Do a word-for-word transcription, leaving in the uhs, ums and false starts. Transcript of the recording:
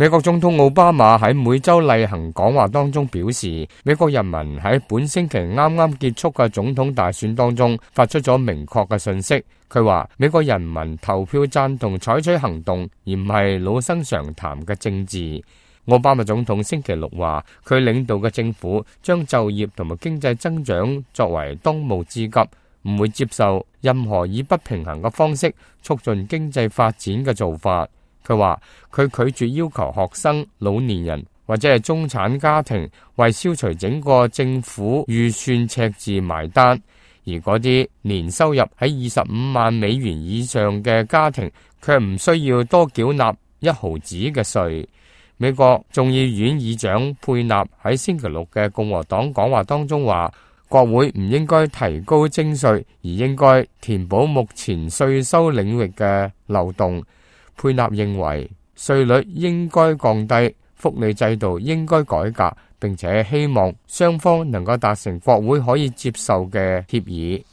美國總統奧巴馬喺每週例行講話當中表示，美國人民喺本星期啱啱結束嘅總統大選當中發出咗明確嘅訊息。佢話美國人民投票贊同採取行動，而唔係老生常談嘅政治。奧巴馬總統星期六話，佢領導嘅政府將就業同埋經濟增長作為當務之急，唔會接受任何以不平衡嘅方式促進經濟發展嘅做法。佢話佢拒絕要求學生、老年人或者係中產家庭為消除整個政府預算赤字埋單，而嗰啲年收入喺二十五萬美元以上嘅家庭卻唔需要多繳納一毫子嘅稅。美國眾議院議長佩納喺星期六嘅共和黨講話當中話，國會唔應該提高徵稅，而應該填補目前稅收領域嘅漏洞。佩納認為稅率應該降低，福利制度應該改革，並且希望雙方能夠達成國會可以接受嘅協議。